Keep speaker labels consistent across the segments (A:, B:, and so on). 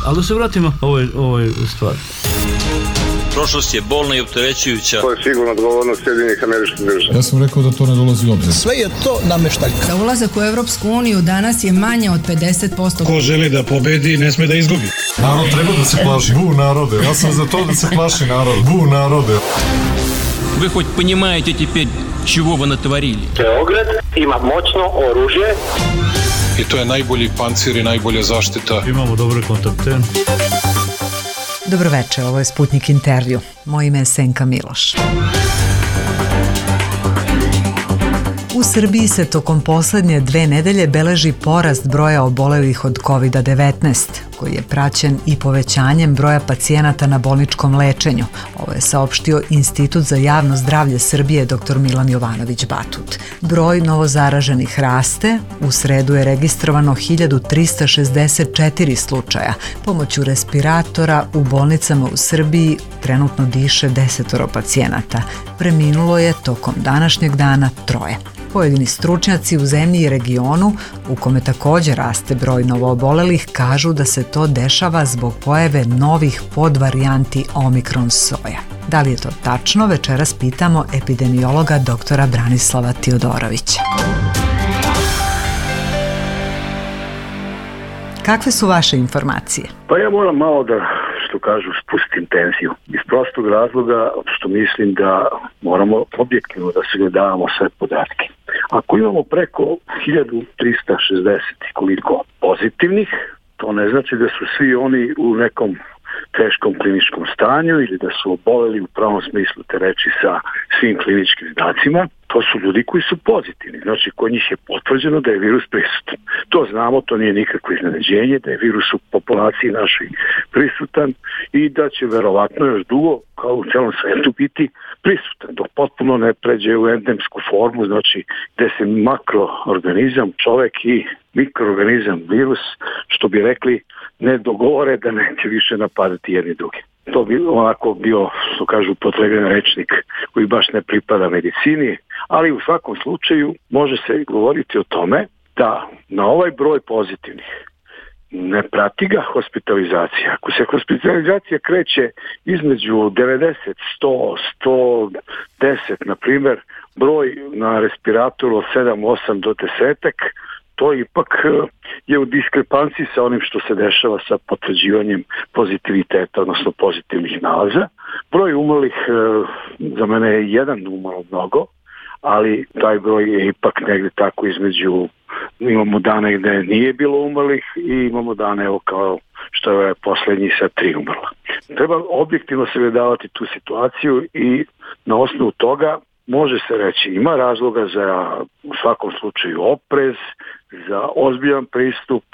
A: Ali da se vratimo ovoj stvari.
B: Prošlost je bolna i opterećujuća.
C: To je sigurno odgovornost Sjedinjenih Američkih Država.
D: Ja sam rekao da to ne dolazi u obzir.
E: Sve je to nameštaljka.
F: Za ulazak u Evropsku uniju danas je manje od 50%.
G: Ko želi da pobedi, ne sme da izgubi.
D: Narod treba da se plaši. Bu narode. Ja sam za to da se plaši narod. Bu narode.
B: Вы хоть понимаете теперь, чего вы натворили?
C: Beograd ima moćno oružje.
G: I to je najbolji pancir i najbolja zaštita.
A: Imamo dobre kontakte.
H: Dobroveče, ovo je Sputnik intervju. Moje ime je Senka Miloš. U Srbiji se tokom poslednje 2 nedelje beleži porast broja obolelih od COVID-19, koji je praćen i povećanjem broja pacijenata na bolničkom lečenju. Ovo je saopštio Institut za javno zdravlje Srbije dr. Milan Jovanović Batut. Broj novozaraženih raste, u sredu je registrovano 1364 slučaja. Pomoću respiratora u bolnicama u Srbiji trenutno diše 10 pacijenata. Preminulo je tokom današnjeg dana 3. Pojedini stručnjaci u zemlji i regionu, u kome također raste broj novoobolelih, kažu da se to dešava zbog pojave novih podvarijanti Omikron soja. Da li je to tačno, večeras pitamo epidemiologa doktora Branislava Tiodorovića. Kakve su vaše informacije?
C: Pa ja moram malo da, što kažu, spustim tenziju. Iz prostog razloga što mislim da moramo objektivno da sagledavamo sve podatke. Ako imamo preko 1360 koliko pozitivnih, to ne znači da su svi oni u nekom teškom kliničkom stanju ili da su oboleli u pravom smislu te reči sa svim kliničkim znacima. To su ljudi koji su pozitivni, znači kod njih je potvrđeno da je virus prisutan. To znamo, to nije nikakvo iznenađenje, da je virus u populaciji našoj prisutan i da će verovatno još dugo, kao u celom svetu, biti prisutan, dok potpuno ne pređe u endemsku formu, znači gde se makroorganizam, čovek i mikroorganizam, virus, što bi rekli, ne dogovore da neće više napadati jedni drugi. To bi onako bio, što kažu, upotrebljen rečnik koji baš ne pripada medicini, ali u svakom slučaju može se govoriti o tome da na ovaj broj pozitivnih ne prati ga hospitalizacija. Ako se hospitalizacija kreće između 90, 100, 110, na primjer, broj na respiratoru od 7, 8 do 10, to ipak je u diskrepanciji sa onim što se dešava sa potvrđivanjem pozitiviteta, odnosno pozitivnih nalaza. Broj umrlih za mene je jedan umrlo mnogo, ali taj broj je ipak negde tako između, imamo dane gde nije bilo umrlih i imamo dane evo kao što je poslednji sa 3 umrla. Treba objektivno sagledavati tu situaciju i na osnovu toga može se reći, ima razloga za u svakom slučaju oprez, za ozbiljan pristup,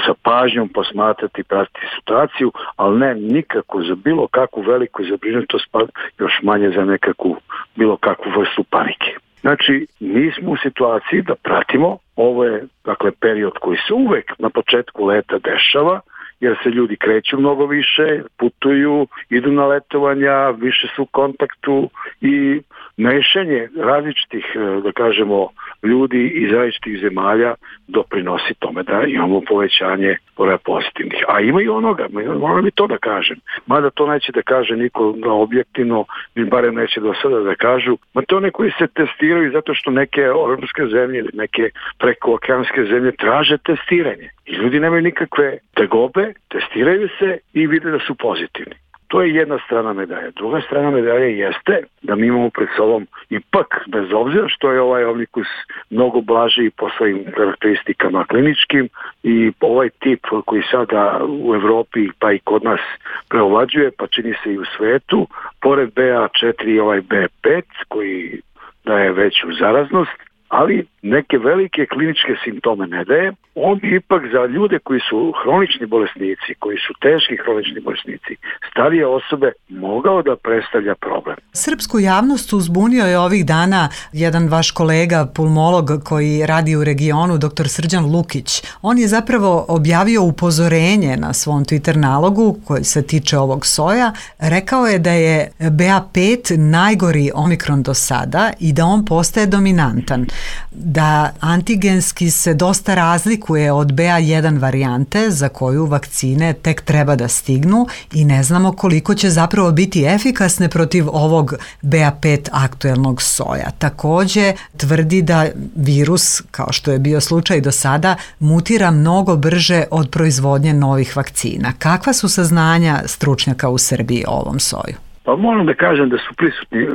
C: sa pažnjom posmatrati i pratiti situaciju, ali ne nikako za bilo kakvu veliku zabrinutost, pa još manje za nekakvu bilo kakvu vrstu panike. Znači, nismo u situaciji da pratimo, ovo je dakle period koji se uvek na početku leta dešava, jer se ljudi kreću mnogo više, putuju, idu na letovanja, više su u kontaktu i mešanje različitih, da kažemo, ljudi iz različitih zemalja doprinosi tome da imamo povećanje broja pozitivnih. A ima i onoga, moram i to da kažem. Mada to neće da kaže niko objektivno, ni barem neće do sada da kažu. Ma to one koji se testiraju zato što neke evropske zemlje ili neke prekookeanske zemlje traže testiranje. I ljudi nemaju nikakve tegobe, testiraju se i vide da su pozitivni. To je jedna strana medalje. Druga strana medalje jeste da mi imamo pred sobom ipak, bez obzira što je ovaj omnikus mnogo blaži po svojim karakteristikama kliničkim i ovaj tip koji sada u Evropi pa i kod nas preovlađuje, pa čini se i u svetu, pored BA4 i ovaj B5 koji daje veću zaraznost, ali neke velike kliničke simptome ne daje. On bi ipak za ljude koji su hronični bolesnici, koji su teški hronični bolesnici, starije osobe, mogao da predstavlja problem.
H: Srpsku javnost uzbunio je ovih dana jedan vaš kolega, pulmolog koji radi u regionu, dr. Srđan Lukić. On je zapravo objavio upozorenje na svom Twitter nalogu koji se tiče ovog soja. Rekao je da je BA5 najgori Omikron do sada i da on postaje dominantan. da antigenski se dosta razlikuje od BA1 varijante za koju vakcine tek treba da stignu i ne znamo koliko će zapravo biti efikasne protiv ovog BA5 aktuelnog soja. Takođe tvrdi da virus, kao što je bio slučaj do sada, mutira mnogo brže od proizvodnje novih vakcina. Kakva su saznanja stručnjaka u Srbiji o ovom soju?
C: Pa moram da kažem da su prisutni,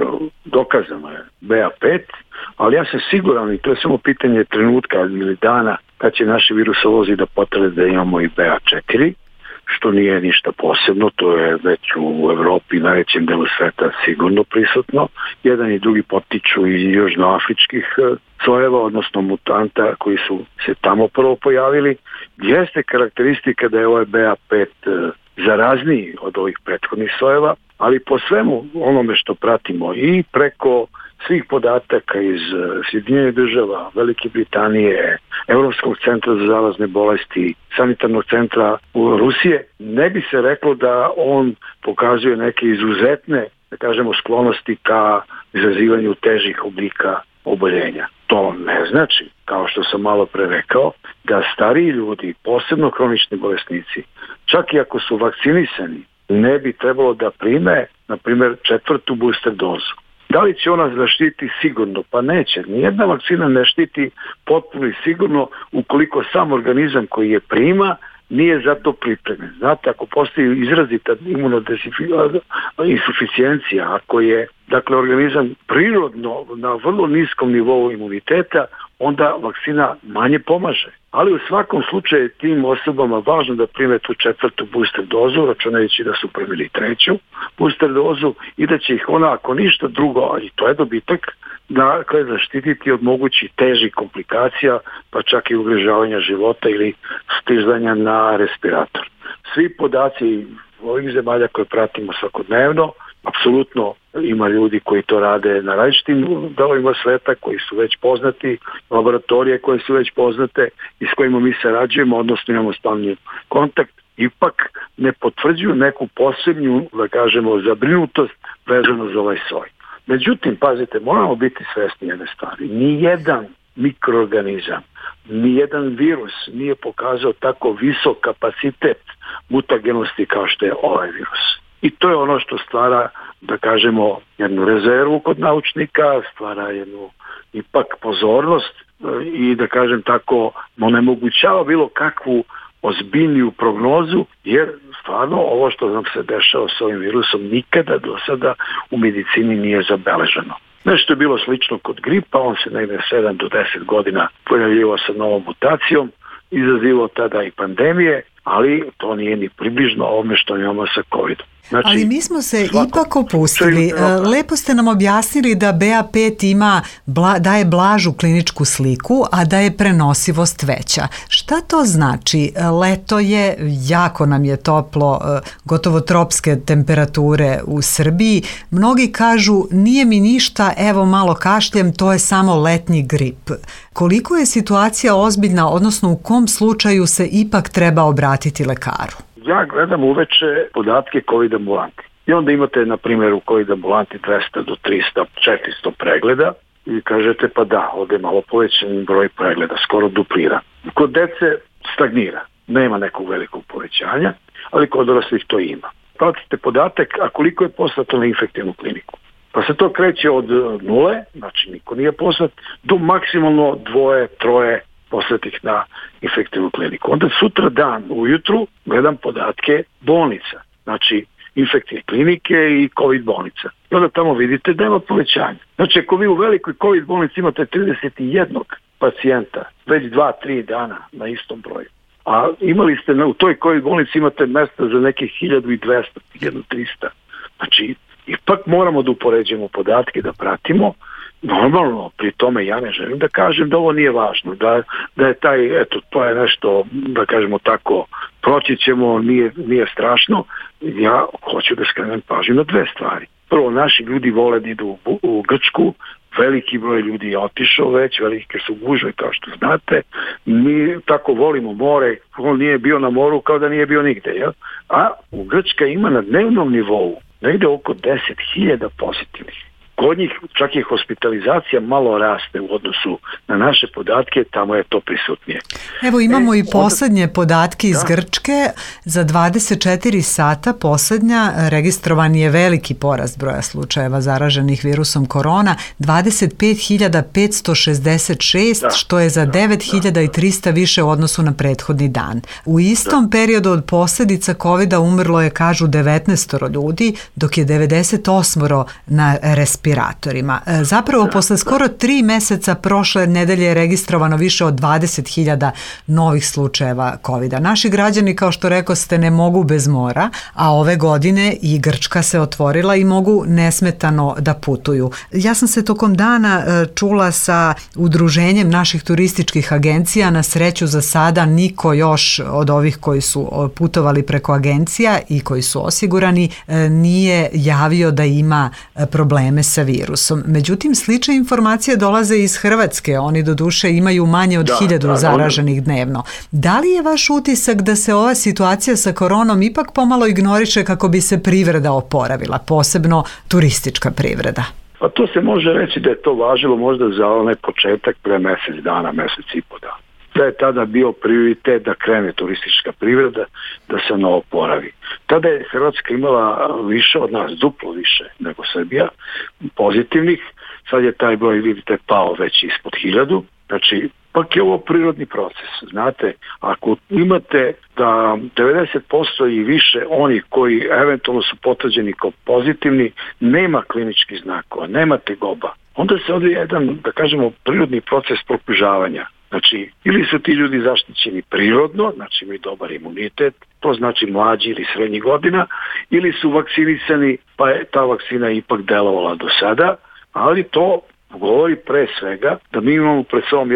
C: dokazano je BA5, ali ja sam siguran, i to je samo pitanje trenutka ili dana, kad će naši virusolozi da potrebe da imamo i BA4, što nije ništa posebno, to je već u Evropi i najvećem delu sveta sigurno prisutno. Jedan i drugi potiču iz južnoafričkih sojeva, odnosno mutanta koji su se tamo prvo pojavili. Jeste karakteristika da je ovaj BA5 zarazniji od ovih prethodnih sojeva, ali po svemu onome što pratimo i preko svih podataka iz Sjedinjenih država, Velike Britanije, Evropskog centra za zarazne bolesti, sanitarnog centra u Rusije, ne bi se reklo da on pokazuje neke izuzetne, da kažemo, sklonosti ka izazivanju težih oblika oboljenja. To ne znači, kao što sam malo pre rekao, da stariji ljudi, posebno hronični bolesnici, čak i ako su vakcinisani, ne bi trebalo da prime, na primjer, 4. booster dozu. Da li će ona zaštiti sigurno? Pa neće. Nijedna vakcina ne štiti potpuno i sigurno ukoliko sam organizam koji je prima nije za to pripremljen. Znate, ako postoji izrazita insuficijencija, ako je organizam prirodno na vrlo niskom nivou imuniteta, onda vakcina manje pomaže. Ali u svakom slučaju tim osobama važno da prime tu 4. booster dozu, računajući da su primili 3. booster dozu i da će ih ona, ako ništa drugo, i to je dobitak, dakle zaštititi od mogućih težih komplikacija, pa čak i ugrožavanja života ili stizanja na respirator. Svi podaci ovih zemalja koje pratimo svakodnevno, apsolutno ima ljudi koji to rade na različitim delovima sveta, koji su već poznati, laboratorije koje su već poznate i s kojima mi sarađujemo, odnosno imamo stalni kontakt, ipak ne potvrđuju neku posebnu, da kažemo, zabrinutost vezano za ovaj soj. Međutim, pazite, moramo biti svesni jedne stvari. Nijedan mikroorganizam, nijedan virus nije pokazao tako visok kapacitet mutagenosti kao što je ovaj virus. I to je ono što stvara, da kažemo, jednu rezervu kod naučnika, stvara jednu ipak pozornost i, da kažem tako, onemogućava bilo kakvu ozbiljniju prognozu, jer stvarno ovo što nam se dešava s ovim virusom nikada do sada u medicini nije zabeleženo. Nešto je bilo slično kod gripa, on se negde 7 do 10 godina pojavljivao sa novom mutacijom, izazivao tada i pandemije, ali to nije ni približno ovome što imamo sa COVID-om. Znači,
H: ali mi smo se ipak opustili. Lepo ste nam objasnili da BA5 daje blažu kliničku sliku, a da je prenosivost veća. Šta to znači? Leto je, jako nam je toplo, gotovo tropske temperature u Srbiji. Mnogi kažu, nije mi ništa, evo malo kašljem, to je samo letnji grip. Koliko je situacija ozbiljna, odnosno u kom slučaju se ipak treba obratiti lekaru?
C: Ja gledam uveče podatke COVID ambulanti. I onda imate, na primjer, u COVID ambulanti 200 do 300, 400 pregleda i kažete pa da, ovdje je malo povećan broj pregleda, skoro duplira. Kod dece stagnira, nema nekog velikog povećanja, ali kod odraslih to ima. Pratite podatak, a koliko je poslato na infektivnu kliniku. Pa se to kreće od 0, znači niko nije poslat, do maksimalno 2, 3 poslatih na infektivnu kliniku. Onda sutra dan ujutru gledam podatke bolnica, znači infektivne klinike i COVID bolnica. I onda tamo vidite da ima povećanje. Znači ako vi u velikoj COVID bolnici imate 31 pacijenta već 2-3 dana na istom broju, a imali ste u toj COVID bolnici imate mesta za nekih 1200, 1300. Znači ipak moramo da upoređujemo podatke, da pratimo. Normalno, pri tome ja ne želim da kažem da ovo nije važno, da je taj, eto, to je nešto, da kažemo tako, proći ćemo, nije strašno. Ja hoću da skrenem pažnju na 2 stvari. Prvo, naši ljudi vole da idu u Grčku, veliki broj ljudi je otišao već, velike su gužve kao što znate, mi tako volimo more, on nije bio na moru kao da nije bio nigde, jel? A u Grčka ima na dnevnom nivou negde oko 10.000 pozitivnih Kod njih čak i hospitalizacija malo raste u odnosu na naše podatke, tamo je to prisutnije.
H: Evo imamo i posljednje podatke iz Grčke. Za 24 sata posljednja registrovan je veliki porast broja slučajeva zaraženih virusom korona, 25.566, što je za 9.300 više u odnosu na prethodni dan. U istom periodu od posljedica COVID-a umrlo je, kažu, 19 ljudi, dok je 98 na respiratorima. Zapravo, posle skoro 3 meseca prošle nedelje je registrovano više od 20.000 novih slučajeva COVID-a. Naši građani, kao što rekoste, ne mogu bez mora, a ove godine i Grčka se otvorila i mogu nesmetano da putuju. Ja sam se tokom dana čula sa udruženjem naših turističkih agencija. Na sreću za sada niko još od ovih koji su putovali preko agencija i koji su osigurani nije javio da ima probleme sa virusom. Međutim, slične informacije dolaze iz Hrvatske. Oni doduše imaju manje od 1000 zaraženih dnevno. Da li je vaš utisak da se ova situacija sa koronom ipak pomalo ignoriše kako bi se privreda oporavila, posebno turistička privreda?
C: Pa to se može reći da je to važilo možda za onaj početak pre mjesec dana, mjesec i po dana. Da je tada bio prioritet da krene turistička privreda, da se ono oporavi. Tada je Hrvatska imala više od nas, duplo više nego Srbija, pozitivnih. Sad je taj broj, vidite, pao već ispod 1000. Znači, pak je ovo prirodni proces. Znate, ako imate da 90% i više onih koji eventualno su potvrđeni kao pozitivni, nema kliničkih znakova, nema tegoba, onda se odvija jedan, da kažemo, prirodni proces prokružavanja. Znači, ili su ti ljudi zaštićeni prirodno, znači imaju dobar imunitet, to znači mlađi ili srednjih godina, ili su vakcinisani, pa je ta vakcina ipak delovala do sada, ali to govori pre svega da mi imamo pred sobom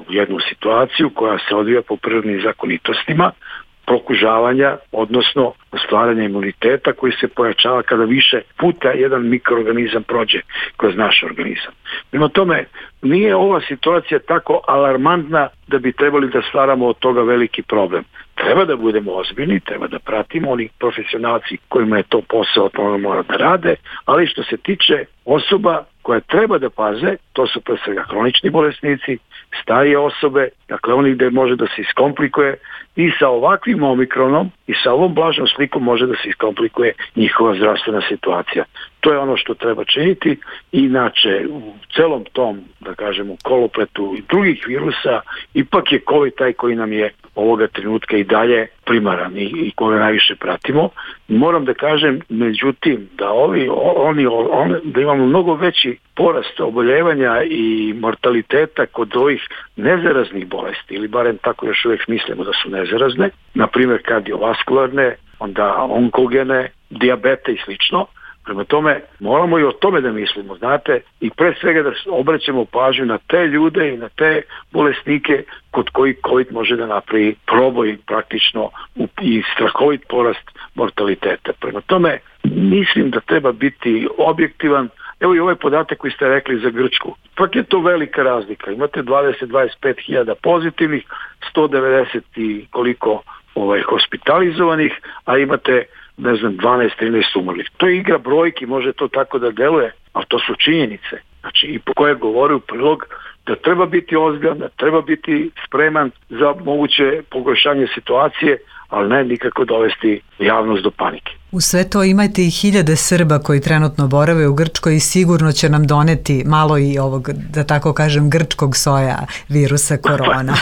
C: jednu situaciju koja se odvija po prirodnim zakonitostima, prokužavanja, odnosno stvaranja imuniteta koji se pojačava kada više puta jedan mikroorganizam prođe kroz naš organizam. Prema tome, nije ova situacija tako alarmantna da bi trebali da stvaramo od toga veliki problem. Treba da budemo ozbiljni, treba da pratimo oni profesionalci kojima je to posao, to mora da rade, ali što se tiče osoba koje treba da paze, to su pre svega hronični bolesnici, starije osobe, dakle oni gde može da se iskomplikuje i sa ovakvim omikronom i sa ovom blažnom slikom može da se iskomplikuje njihova zdravstvena situacija. To je ono što treba činiti. Inače, u celom tom, da kažemo, kolopletu i drugih virusa, ipak je COVID taj koji nam je ovoga trenutka i dalje primaran i koga najviše pratimo. Moram da kažem, međutim, da da imamo mnogo veći porast oboljevanja i mortaliteta kod ovih nezaraznih bolesti, ili barem tako još uvijek mislimo da su nezarazne, na primjer kardiovaskularne, onda onkogene, dijabete i slično. Prema tome, moramo i o tome da mislimo, znate, i pre svega da obraćamo pažnju na te ljude i na te bolesnike kod koji COVID može da napravi proboj praktično i strahovit porast mortaliteta. Prema tome, mislim da treba biti objektivan. Evo i ovaj podatak koji ste rekli za Grčku. Pak je to velika razlika. Imate 20-25.000 pozitivnih, 190 i koliko hospitalizovanih, a imate 12-13 umrlih. To je igra brojki, može to tako da deluje, a to su činjenice. Znači, i po koje govori u prilog da treba biti ozbiljan, da treba biti spreman za moguće pogoršanje situacije, ali ne nikako dovesti javnost do panike.
H: U sve to imate i 1000 Srba koji trenutno borave u Grčkoj i sigurno će nam doneti malo i ovog, da tako kažem, grčkog soja virusa korona.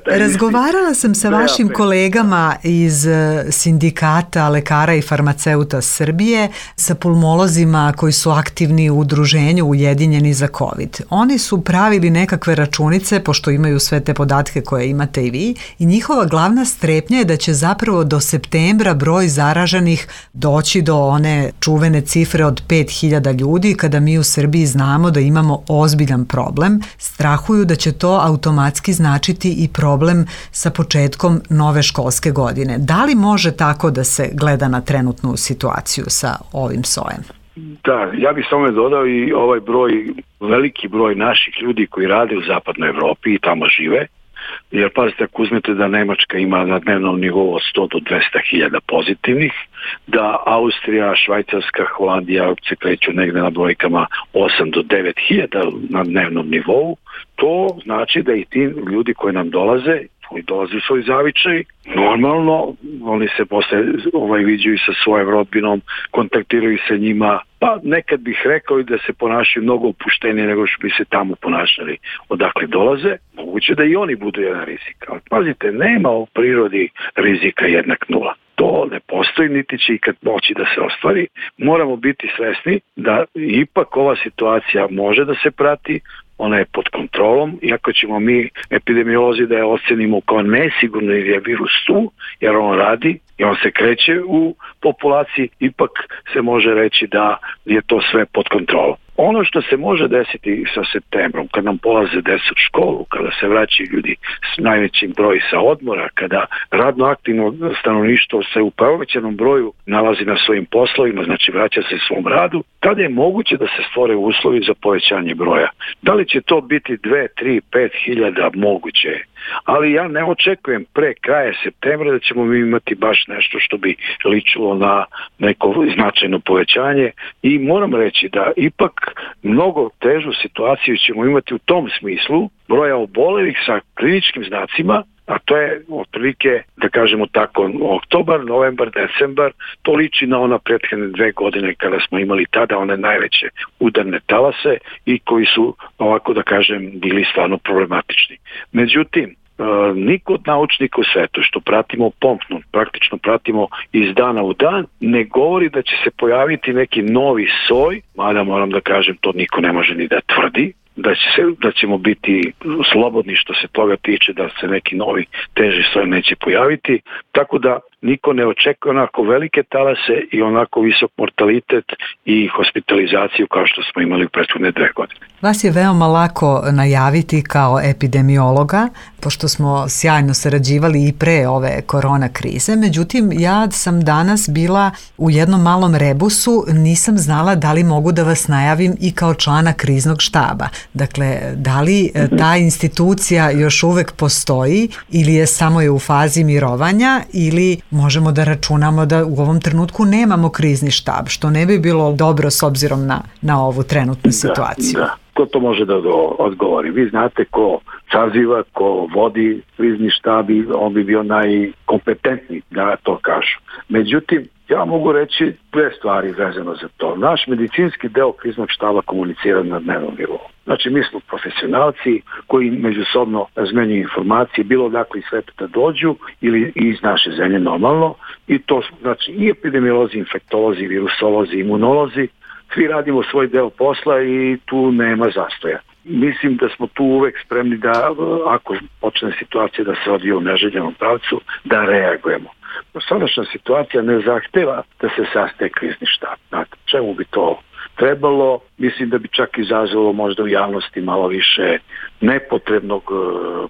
H: Razgovarala sam sa vašim kolegama iz sindikata lekara i farmaceuta Srbije, sa pulmolozima koji su aktivni u udruženju Ujedinjeni za COVID. Oni su pravili nekakve računice, pošto imaju sve te podatke koje imate i vi, i njihova glavna strepnja je da će zapravo do septembra broj zaraženih doći do one čuvene cifre od 5000 ljudi, kada mi u Srbiji znamo da imamo ozbiljan problem. Strahuju da će to automatski značiti i problem sa početkom nove školske godine. Da li može tako da se gleda na trenutnu situaciju sa ovim sojem?
C: Da, ja bih samo dodao i ovaj broj, veliki broj naših ljudi koji rade u zapadnoj Evropi i tamo žive, jer pazite, ako uzmete da Nemačka ima na dnevnom nivou od 100 do 200.000 pozitivnih, da Austrija, Švajcarska, Holandija se kreću negde na brojkama 8 do 9.000 na dnevnom nivou, to znači da i ti ljudi koji nam dolaze, koji dolaze u svoj zavičaj, normalno oni se posle viđaju sa svojom rodbinom, kontaktiraju sa njima, pa nekad bih rekao i da se ponašaju mnogo opuštenije nego što bi se tamo ponašali odakle dolaze, moguće da i oni budu jedan rizik. Ali pazite, nema u prirodi rizika jednak nula. To ne postoji, niti će ikad moći da se ostvari. Moramo biti svesni da ipak ova situacija može da se prati, ona je pod kontrolom, iako ćemo mi epidemiolozi da je ocenimo kao nesigurno jer je virus tu, jer on radi i on se kreće u populaciji, ipak se može reći da je to sve pod kontrolom. Ono što se može desiti sa septembrom, kad nam polaze deca u školu, kada se vraćaju ljudi s najvećim broj sa odmora, kada radno aktivno stanovništvo se u povećanom broju nalazi na svojim poslovima, znači vraća se svom radu, tada je moguće da se stvore uslovi za povećanje broja. Da li će to biti 2, 3, 5 hiljada? Moguće je. Ali ja ne očekujem pre kraja septembra da ćemo mi imati baš nešto što bi ličilo na neko značajno povećanje i moram reći da ipak mnogo težu situaciju ćemo imati u tom smislu broja obolelih sa kliničkim znacima, a to je otprilike, da kažemo tako, oktobar, novembar, decembar, to liči na ona prethodne 2 godine kada smo imali tada one najveće udarne talase i koji su, ovako da kažem, bili stvarno problematični. Međutim, niko od naučnika u svetu što pratimo pompno, praktično pratimo iz dana u dan, ne govori da će se pojaviti neki novi soj, mada moram da kažem, to niko ne može ni da tvrdi, da ćemo biti slobodni što se toga tiče, da se neki novi teži soj neće pojaviti, tako da niko ne očekuje onako velike talase i onako visok mortalitet i hospitalizaciju kao što smo imali u prethodne 2 godine.
H: Vas je veoma lako najaviti kao epidemiologa, pošto smo sjajno sarađivali i pre ove korona krize. Međutim, ja sam danas bila u jednom malom rebusu, nisam znala da li mogu da vas najavim i kao člana kriznog štaba. Dakle, da li ta institucija još uvek postoji ili je samo u fazi mirovanja ili možemo da računamo da u ovom trenutku nemamo krizni štab, što ne bi bilo dobro s obzirom na ovu trenutnu situaciju.
C: Da. Ko to može da odgovori? Vi znate ko saziva, ko vodi krizni štab, on bi bio najkompetentniji da to kažu. Međutim, ja mogu reći 2 stvari vezano za to. Naš medicinski deo kriznog štaba komunicira na dnevnom nivou. Znači, mi smo profesionalci koji međusobno razmenjuju informacije, bilo dakle iz sveta da dođu ili iz naše zemlje normalno. I to znači i epidemiolozi, infektolozi, virusolozi, imunolozi. Svi radimo svoj deo posla i tu nema zastoja. Mislim da smo tu uvek spremni da, ako počne situacija da se odvije u neželjenom pravcu, da reagujemo. Sadašnja situacija ne zahteva da se sastaje krizni štab. Znate, čemu bi to trebalo? Mislim da bi čak izazvalo možda u javnosti malo više nepotrebnog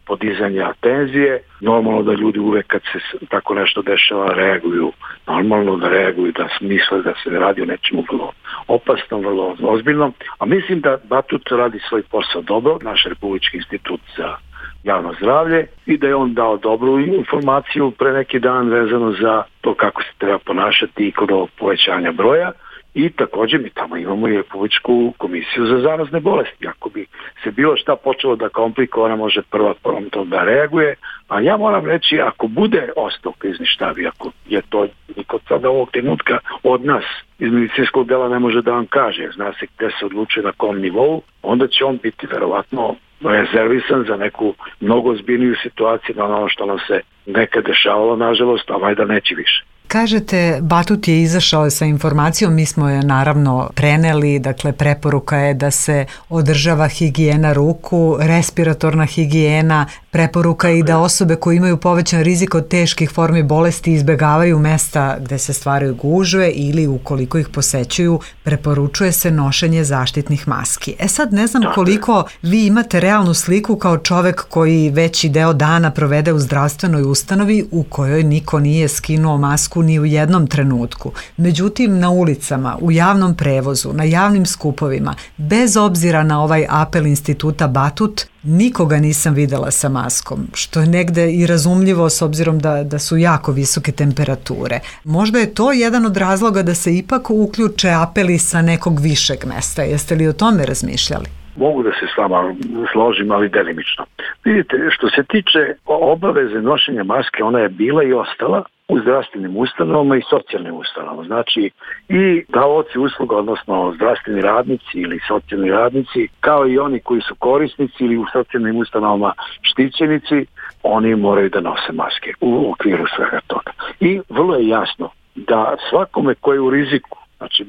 C: podizanja tenzije. Normalno da ljudi uvek kad se tako nešto dešava reaguju. Normalno da reaguju, da misle da se radi o nečemu vrlo opasnom, vrlo ozbiljnom. A mislim da Batut radi svoj posao dobro, naš Republički institut za javno zdravlje, i da je on dao dobru informaciju pre neki dan vezano za to kako se treba ponašati i kod ovog povećanja broja. I također mi tamo imamo i Republičku komisiju za zarazne bolesti. Ako bi se bilo šta počelo da komplikuje, ona može prva promptno da reaguje. A ja moram reći, ako bude ostao krizni štab, ako je to niko sada ovog trenutka od nas iz medicinskog dela ne može da vam kaže, zna se gde se odlučuje na kom nivou, onda će on biti verovatno rezervisan za neku mnogo ozbiljniju situaciju na ono što nam se nekad dešavalo, nažalost, a valjda neće više.
H: Kažete, Batut je izašao sa informacijom, mi smo je naravno preneli, dakle preporuka je da se održava higijena ruku, respiratorna higijena, preporuka je i da osobe koje imaju povećan rizik od teških formi bolesti izbegavaju mesta gde se stvaraju gužve ili ukoliko ih posećuju, preporučuje se nošenje zaštitnih maski. Sad ne znam koliko vi imate realnu sliku kao čovek koji veći deo dana provede u zdravstvenoj ustanovi u kojoj niko nije skinuo masku grupu ni u jednom trenutku. Međutim, na ulicama, u javnom prevozu, na javnim skupovima, bez obzira na ovaj apel instituta Batut, nikoga nisam videla sa maskom, što je negde i razumljivo s obzirom da su jako visoke temperature. Možda je to jedan od razloga da se ipak uključe apeli sa nekog višeg mesta. Jeste li o tome razmišljali?
C: Mogu da se s vama složim, ali delimično. Vidite, što se tiče obaveze nošenja maske, ona je bila i ostala u zdravstvenim ustanovama i socijalnim ustanovama. Znači i davaoci usluga, odnosno zdravstveni radnici ili socijalni radnici, kao i oni koji su korisnici ili u socijalnim ustanovama štićenici, oni moraju da nose maske u okviru svega toga. I vrlo je jasno da svakome koji je u riziku, znači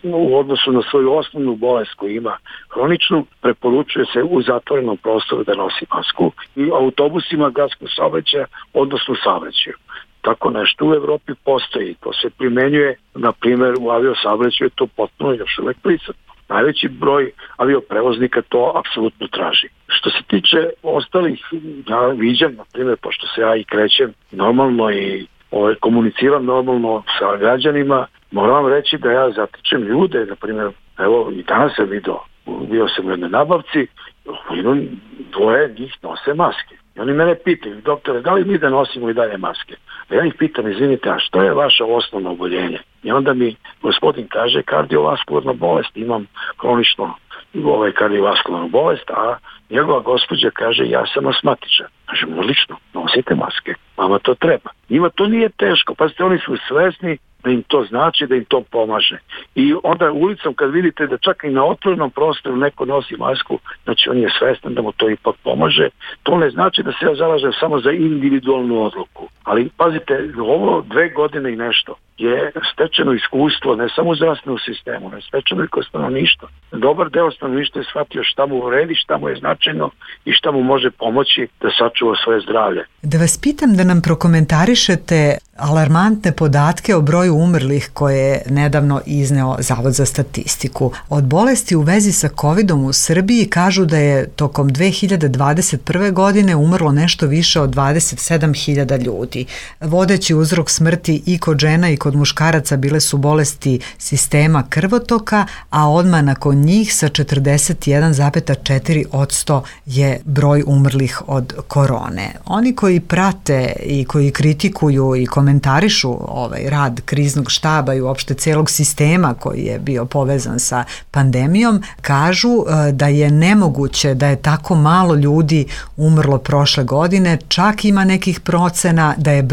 C: u odnosu na svoju osnovnu bolest koju ima hroničnu, preporučuje se u zatvorenom prostoru da nosi masku i autobusima gradskog saobraćaja, odnosno saobraćaju. Tako nešto u Evropi postoji. To se primenjuje, na primjer, u aviosaobraćaju je to potpuno još uvek prisutno. Najveći broj avioprevoznika to apsolutno traži. Što se tiče ostalih, ja viđam, na primjer, pošto se ja i krećem normalno i komuniciram normalno sa građanima, moram vam reći da ja zatičem ljude, na primjer, evo i danas sam bio sam u jednoj nabavci, dvoje njih nose maske. I oni mene pitaju, doktore, da li mi da nosimo i dalje maske? A ja ih pitam, izvinite, a što je vaše osnovno oboljenje? I onda mi gospodin kaže, kardiovaskularna bolest, imam hronično kardiovaskularnu bolest, a njegova gospođa kaže, ja sam asmatičan. Kažem, odlično, nosite maske, vama to treba. Njima to nije teško, pazite, oni su svesni da im to znači, da im to pomaže. I onda ulicom kad vidite da čak i na otvorenom prostoru neko nosi masku, znači on je svestan da mu to ipak pomaže. To ne znači da se ja zalažem samo za individualnu odluku. Ali pazite, ovo 2 godine i nešto je stečeno iskustvo, ne samo u zdravstvenom sistemu, ne stečeno i kod stanovništva. Dobar deo stanovništva je shvatio šta mu vredi, šta mu je značajno i šta mu može pomoći da sačuva svoje zdravlje.
H: Da vas pitam da nam prokomentarišete alarmantne podatke o broju umrlih koje je nedavno izneo Zavod za statistiku. Od bolesti u vezi sa COVID-om u Srbiji kažu da je tokom 2021. godine umrlo nešto više od 27.000 ljudi. Vodeći uzrok smrti i kod žena i kod muškaraca bile su bolesti sistema krvotoka, a odmah nakon njih sa 41,4% je broj umrlih od korone. Oni koji prate i koji kritikuju i komentarišu ovaj rad kriznog štaba i uopšte celog sistema koji je bio povezan sa pandemijom, kažu da je nemoguće da je tako malo ljudi umrlo prošle godine, čak ima nekih procena da je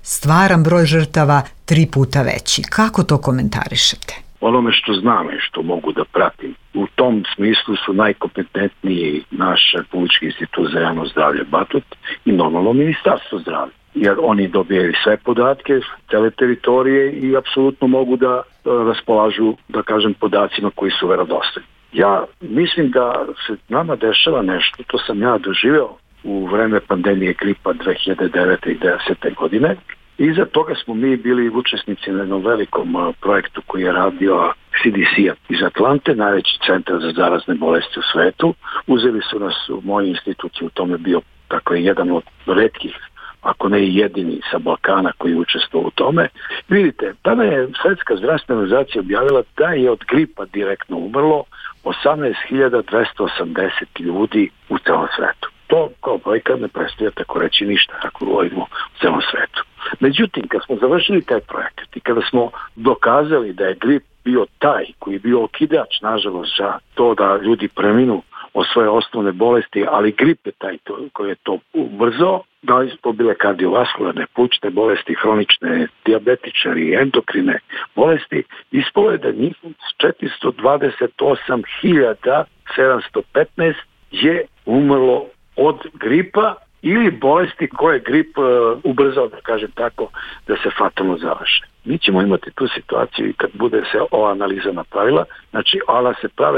H: stvaran broj žrtava 3 puta veći. Kako to komentarišete?
C: Onome što znam i što mogu da pratim, u tom smislu su najkompetentniji naš Republički institut za javno zdravlje Batut i normalno Ministarstvo zdravlja. Jer oni dobijaju sve podatke, cele teritorije i apsolutno mogu da raspolažu, da kažem, podacima koji su verodostojni. Ja mislim da se nama dešava nešto, to sam ja doživeo u vreme pandemije gripa 2009. i 2010. godine. Iza toga smo mi bili učesnici na jednom velikom projektu koji je radio CDC-a iz Atlante, najveći centar za zarazne bolesti u svetu. Uzeli su nas u moj institut, u tome bio jedan od retkih, ako ne i jedini sa Balkana koji je učestvovao u tome. Vidite, tada je Svetska zdravstvena organizacija objavila da je od gripa direktno umrlo 18.280 ljudi u celom svetu. To kao brojka ne predstavlja tako reći ništa, ako govorimo u celom svetu. Međutim, kad smo završili taj projekat i kada smo dokazali da je grip bio taj koji je bio okidač, nažalost, za to da ljudi preminu od svoje osnovne bolesti, ali grip je taj koji je to ubrzao, da li su to bile kardiovaskularne, plućne bolesti, hronične, dijabetičari, endokrine bolesti, ispalo je da njih 428.715 je umrlo od gripa ili bolesti koje grip ubrzao, da kažem tako, da se fatalno završe. Mi ćemo imati tu situaciju i kad bude se ova analiza napravila, znači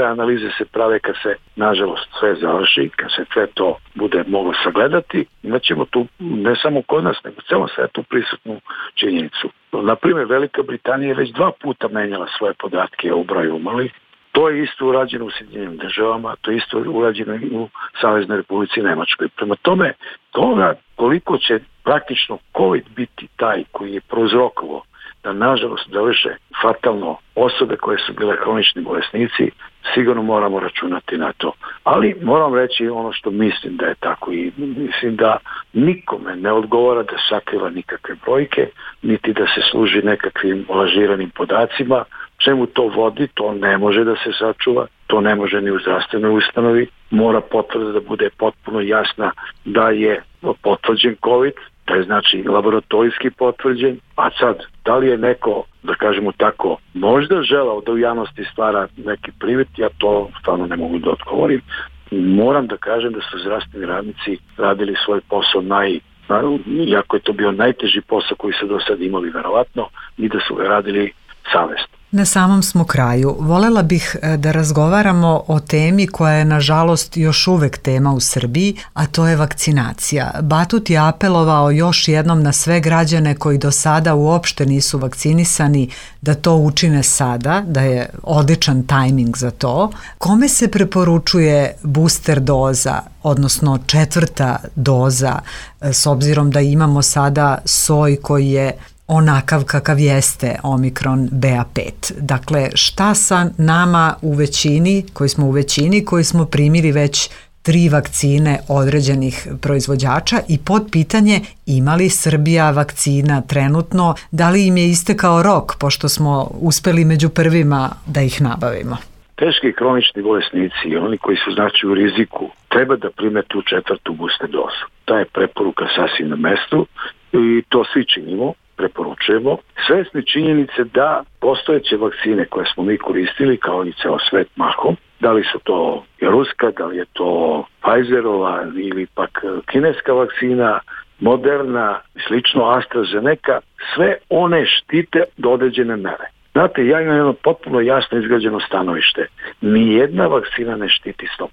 C: analize se prave kad se, nažalost, sve završi, kad se sve to bude moglo sagledati, imat ćemo tu ne samo kod nas, nego u celom svetu prisutnu činjenicu. Naprimjer, Velika Britanija je već 2 puta menjala svoje podatke o broju umrlih To je isto urađeno u Sjedinjenim Državama, to je isto urađeno u Saveznoj Republici Nemačkoj. Prema tome, toga koliko će praktično COVID biti taj koji je prouzrokovao da nažalost završe fatalno osobe koje su bile hronični bolesnici, sigurno moramo računati na to. Ali moram reći ono što mislim da je tako i mislim da nikome ne odgovara da sakriva nikakve brojke, niti da se služi nekakvim lažiranim podacima. Čemu to vodi, to ne može da se sačuva, to ne može ni u zdravstvenoj ustanovi. Mora potvrda da bude potpuno jasna da je potvrđen COVID, da je znači laboratorijski potvrđen, a sad, da li je neko, da kažemo tako, možda želao da u javnosti stvara neki privid, ja to stvarno ne mogu da odgovorim. Moram da kažem da su zdravstveni radnici radili svoj posao iako je to bio najteži posao koji su do sad imali verovatno, i da su ga radili savesno.
H: Na samom smo kraju. Volela bih da razgovaramo o temi koja je nažalost još uvek tema u Srbiji, a to je vakcinacija. Batut je apelovao još jednom na sve građane koji do sada uopšte nisu vakcinisani da to učine sada, da je odličan tajming za to. Kome se preporučuje booster doza, odnosno 4. doza, s obzirom da imamo sada soj koji je onakav kakav jeste Omikron BA5. Dakle, šta sa nama u većini, koji smo primili već 3 vakcine određenih proizvođača i podpitanje ima li Srbija vakcina trenutno, da li im je istekao rok, pošto smo uspeli među prvima da ih nabavimo?
C: Teški i hronični bolesnici, oni koji su znači u riziku, treba da prime tu 4. booster dozu. Ta je preporuka sasvim na mestu i to svi činimo. Preporučujemo, svesni činjenice da postojeće vakcine koje smo mi koristili kao i ceo svet mahom, da li su to ruska, da li je to Pfizerova ili pak kineska vakcina, Moderna, slično AstraZeneca, sve one štite do određene mere. Znate, ja imam jedno potpuno jasno izgrađeno stanovište. Nijedna vakcina ne štiti 100%.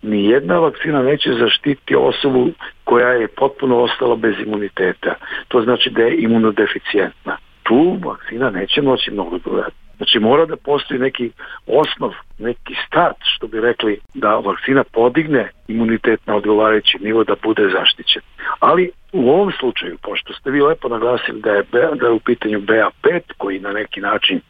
C: Nijedna vakcina neće zaštiti osobu koja je potpuno ostala bez imuniteta. To znači da je imunodeficijentna. Tu vakcina neće moći mnogo dodati. Znači mora da postoji neki osnov, neki start, što bi rekli, da vakcina podigne imunitet na odgovarajući nivo da bude zaštićen. Ali u ovom slučaju, pošto ste vi lepo naglasili da je u pitanju BA5, koji na neki način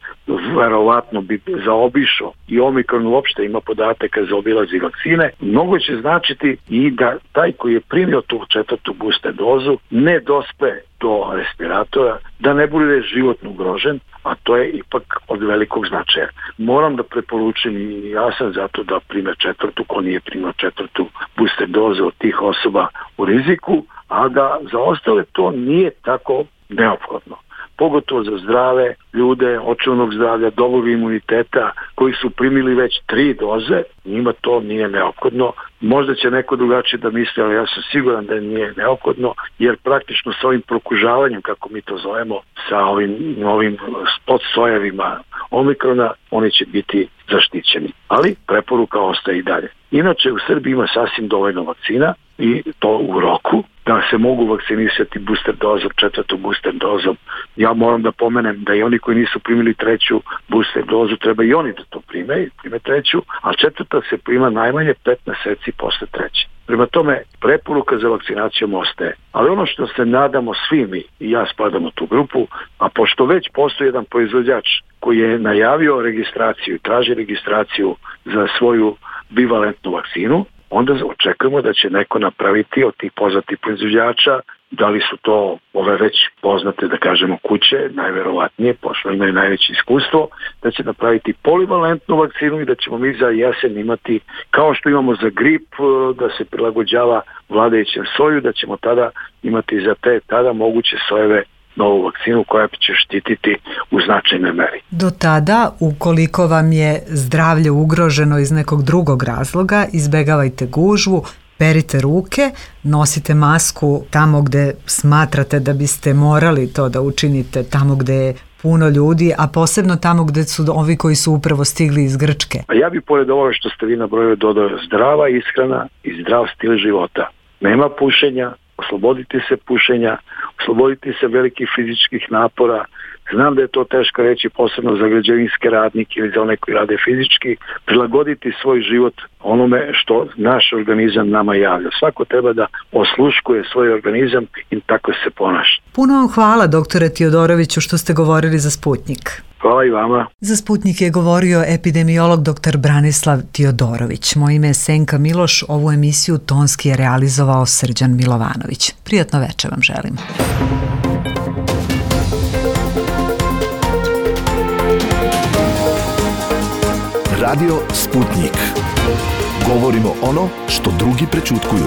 C: verovatno bi zaobišao i Omikron uopšte ima podataka za obilazi vakcine, mnogo će značiti i da taj koji je primio tu 4. booster dozu ne dospe do respiratora, da ne bude životno ugrožen, a to je ipak od velikog značaja. Moram da preporučim i ja sam zato da prime 4. ko nije primio 4. booster dozu od tih osoba u riziku, a da za ostale to nije tako neophodno. Pogotovo za zdrave ljude, očuvnog zdravlja, dobrog imuniteta koji su primili već 3 doze, njima to nije neophodno. Možda će neko drugačije da misli, ali ja sam siguran da nije neophodno, jer praktično sa ovim prokužavanjem, kako mi to zovemo, sa ovim novim podsojevima Omikrona, oni će biti zaštićeni. Ali preporuka ostaje i dalje. Inače, u Srbiji ima sasvim dovoljno vakcina i to u roku, da se mogu vakcinisati booster dozom, 4. booster dozom. Ja moram da pomenem da i oni koji nisu primili 3. booster dozu, treba i oni da to prime 3. a 4. se prima najmanje 5 meseci posle 3. Prema tome, preporuka za vakcinacijom ostaje. Ali ono što se nadamo svi mi, i ja spadam u tu grupu, a pošto već postoji jedan proizvođač koji je najavio registraciju, traži registraciju za svoju bivalentnu vakcinu, onda očekujemo da će neko napraviti od tih poznatih proizvođača, da li su to ove već poznate, da kažemo, kuće, najverovatnije, pošto imaju najveće iskustvo, da će napraviti polivalentnu vakcinu i da ćemo mi za jesen imati, kao što imamo za grip, da se prilagođava vladajućem soju, da ćemo tada imati za te tada moguće sojeve novu vakcinu koja će štititi u značajnoj meri.
H: Do tada, ukoliko vam je zdravlje ugroženo iz nekog drugog razloga, izbegavajte gužvu, perite ruke, nosite masku tamo gde smatrate da biste morali to da učinite, tamo gde je puno ljudi, a posebno tamo gde su ovi koji su upravo stigli iz Grčke.
C: A ja bih pored ovoga što ste vi nabrojili dodao zdrava ishrana i zdrav stil života. Nema pušenja, oslobodite se pušenja, oslobodite se velikih fizičkih napora, znam da je to teško reći, posebno za građevinske radnike ili za one koji rade fizički, prilagoditi svoj život onome što naš organizam nama javlja. Svako treba da osluškuje svoj organizam i tako se ponaša.
H: Puno vam hvala, doktore Tiodoroviću, što ste govorili za Sputnjik.
C: Hvala i vama.
H: Za Sputnjik je govorio epidemiolog dr. Branislav Tiodorović. Moje ime je Senka Miloš, ovu emisiju tonski je realizovao Srđan Milovanović. Prijatno večer vam želim.
E: Radio Sputnjik. Govorimo ono što drugi prećutkuju.